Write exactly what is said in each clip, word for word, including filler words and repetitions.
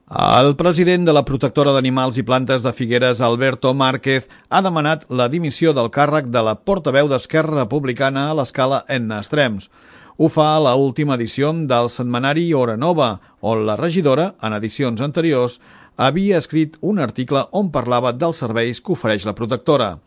El president de la protectora d'animals i plantes de Figueres, Alberto Márquez, ha demanat la dimissió del càrrec de la portaveu d'Esquerra Republicana a l'escala Etna Extrems. Ho fa a l'última edició del setmanari Hora Nova, on la regidora, en edicions anteriors, havia escrit un article on parlava dels serveis que ofereix la protectora.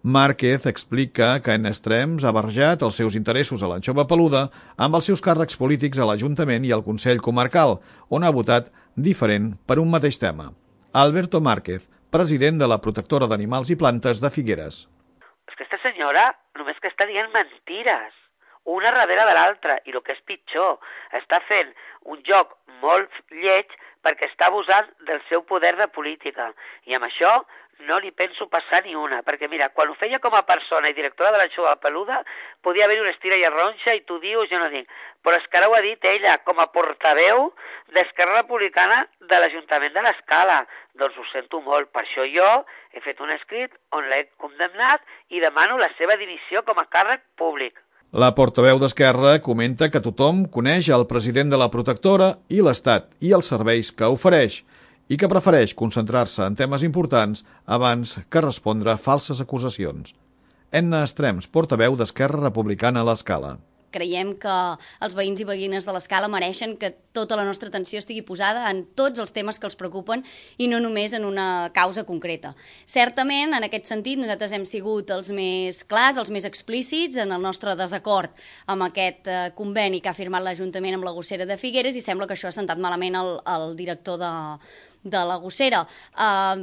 Márquez explica que Etna Extrems ha barrejat els seus interessos a l'anxova peluda amb els seus càrrecs polítics a l'Ajuntament i al Consell Comarcal, on ha votat diferent per un mateix tema. Alberto Márquez, president de la protectora d'animals i plantes de Figueres. És que aquesta senyora només que està dient mentides, una darrere de l'altra, i el que és pitjor, està fent un joc molt lleig perquè està abusant del seu poder de política. I amb això no li penso passar ni una, perquè mira, quan ho feia com a persona i directora de l'anxova peluda, podia haver-hi una estira i arronxa i tu dius, jo no dic. Però és que ara ho ha dit ella, com a portaveu d'Esquerra Republicana de l'Ajuntament de l'Escala. Doncs ho sento molt, per això jo he fet un escrit on l'he condemnat i demano la seva dimissió com a càrrec públic. La portaveu d'Esquerra comenta que tothom coneix el president de la protectora i l'Estat i els serveis que ofereix, i que prefereix concentrar-se en temes importants abans que respondre a falses acusacions. Etna Extrems, portaveu d'Esquerra Republicana a l'Escala. Creiem que els veïns i veïnes de l'Escala mereixen que tota la nostra atenció estigui posada en tots els temes que els preocupen i no només en una causa concreta. Certament, en aquest sentit, nosaltres hem sigut els més clars, els més explícits en el nostre desacord amb aquest eh, conveni que ha firmat l'Ajuntament amb la gossera de Figueres i sembla que això ha sentat malament el, el director de, de la gossera. Uh,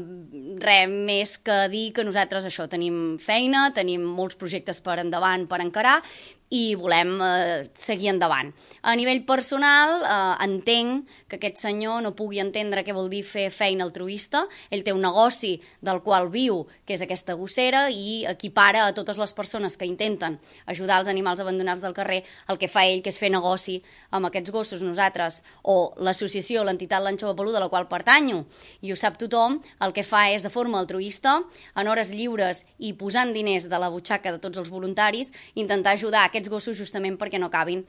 res més que dir que nosaltres això tenim feina, tenim molts projectes per endavant per encarar i volem eh, seguir endavant. A nivell personal, eh, entenc que aquest senyor no pugui entendre què vol dir fer feina altruista. Ell té un negoci del qual viu, que és aquesta gossera, i equipara a totes les persones que intenten ajudar els animals abandonats del carrer el que fa ell, que és fer negoci amb aquests gossos. Nosaltres, o l'associació, l'entitat l'Anxova Peluda, a la qual pertanyo, i ho sap tothom, el que fa és de forma altruista, en hores lliures i posant diners de la butxaca de tots els voluntaris, intentar ajudar aquests gossos justament perquè no acabin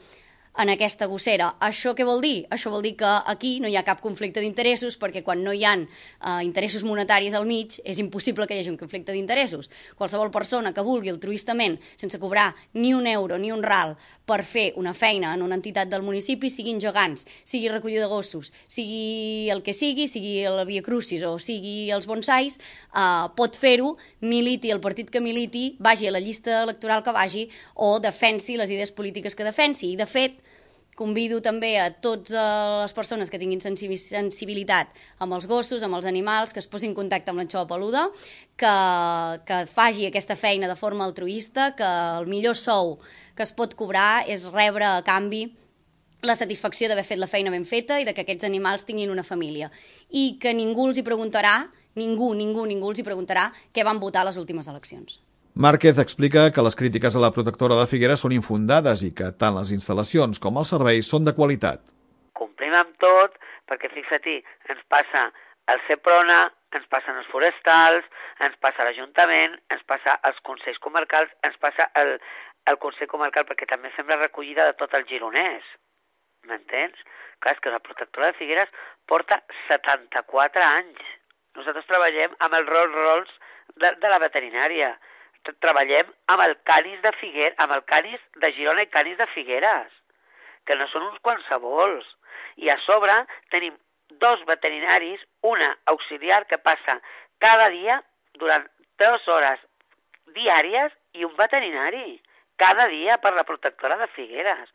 en aquesta gossera. Això què vol dir? Això vol dir que aquí no hi ha cap conflicte d'interessos, perquè quan no hi ha eh, interessos monetaris al mig és impossible que hi hagi un conflicte d'interessos. Qualsevol persona que vulgui altruistament, sense cobrar ni un euro ni un ral per fer una feina en una entitat del municipi, siguin gegants, sigui recollida de gossos, sigui el que sigui, sigui la Via Crucis o sigui els bonsais, eh, pot fer-ho, militi el partit que militi, vagi a la llista electoral que vagi o defensi les idees polítiques que defensi. I de fet, convido també a totes les persones que tinguin sensibilitat amb els gossos, amb els animals, que es posin en contacte amb l'anxova peluda, que, que faci aquesta feina de forma altruista, que el millor sou que es pot cobrar és rebre a canvi la satisfacció d'haver fet la feina ben feta i de que aquests animals tinguin una família. I que ningú els hi preguntarà, ningú, ningú, ningú els hi preguntarà què van votar a les últimes eleccions. Márquez explica que les crítiques a la protectora de Figueres són infundades i que tant les instal·lacions com els serveis són de qualitat. Complim amb tot, perquè fixa't, ens passa el Seprona, ens passen els forestals, ens passa l'Ajuntament, ens passa els Consells Comarcals, ens passa el, el Consell Comarcal, perquè també fem la recollida de tot el Gironès. M'entens? Clar, és que la protectora de Figueres porta setanta-quatre anys. Nosaltres treballem amb el Rolls Royce de, de la veterinària. Treballem amb el Canis de Figueres, amb el Canis de Girona i Canis de Figueres, que no són uns qualsevols. I a sobre tenim dos veterinaris, una auxiliar que passa cada dia durant tres hores diàries i un veterinari cada dia per la protectora de Figueres.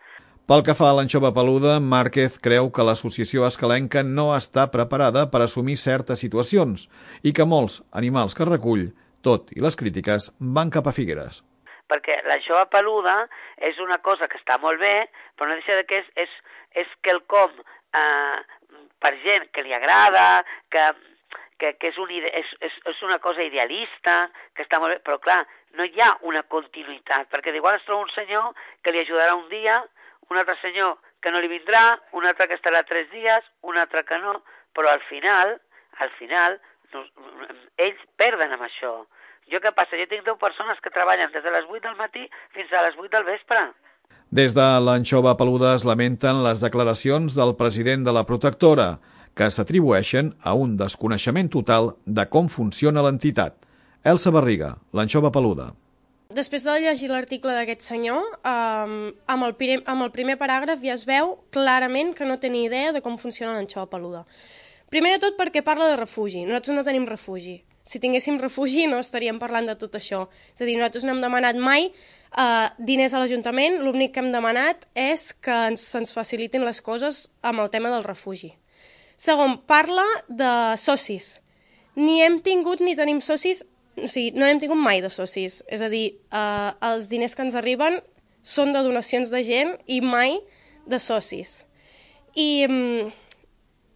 Pel que fa a l'anxova peluda, Márquez creu que l'associació escalenca no està preparada per assumir certes situacions i que molts animals que recull, tot i les crítiques, van cap a Figueres. Perquè l'anxova peluda és una cosa que està molt bé, però no deixa de que és, és, és quelcom eh, per gent que li agrada, que, que, que és, un, és, és, és una cosa idealista, que està molt bé, però clar, no hi ha una continuïtat, perquè d'igual es troba un senyor que li ajudarà un dia, un altre senyor que no li vindrà, un altre que estarà tres dies, un altre que no, però al final, al final, no, ells perden amb això. Jo què passa? Jo tinc deu persones que treballen des de les vuit del matí fins a les vuit del vespre. Des de l'anxova peluda es lamenten les declaracions del president de la protectora, que s'atribueixen a un desconeixement total de com funciona l'entitat. Elsa Barriga, l'anxova peluda. Després de llegir l'article d'aquest senyor, um, amb, el primer, amb el primer paràgraf ja es veu clarament que no té ni idea de com funciona l'anxova peluda. Primer de tot perquè parla de refugi. Nosaltres no tenim refugi. Si tinguéssim refugi no estaríem parlant de tot això. És a dir, nosaltres no hem demanat mai uh, diners a l'Ajuntament, l'únic que hem demanat és que ens, ens facilitin les coses amb el tema del refugi. Segon, parla de socis. Ni hem tingut ni tenim socis. O sigui, no hem tingut mai de socis. És a dir, eh, els diners que ens arriben són de donacions de gent i mai de socis. I,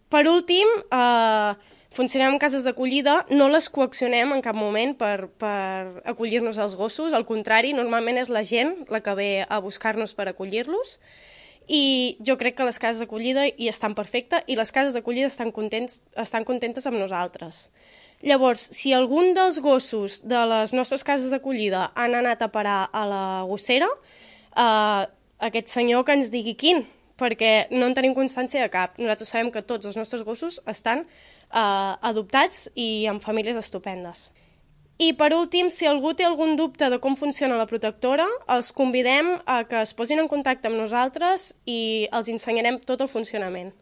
per últim, eh, funcionem en cases d'acollida, no les coaccionem en cap moment per, per acollir-nos als gossos, al contrari, normalment és la gent la que ve a buscar-nos per acollir-los, i jo crec que les cases d'acollida hi estan perfectes i les cases d'acollida estan, contents, estan contentes amb nosaltres. Llavors, si algun dels gossos de les nostres cases d'acollida han anat a parar a la gossera, eh, aquest senyor que ens digui quin, perquè no en tenim constància de cap. Nosaltres sabem que tots els nostres gossos estan eh, adoptats i amb famílies estupendes. I per últim, si algú té algun dubte de com funciona la protectora, els convidem a que es posin en contacte amb nosaltres i els ensenyarem tot el funcionament.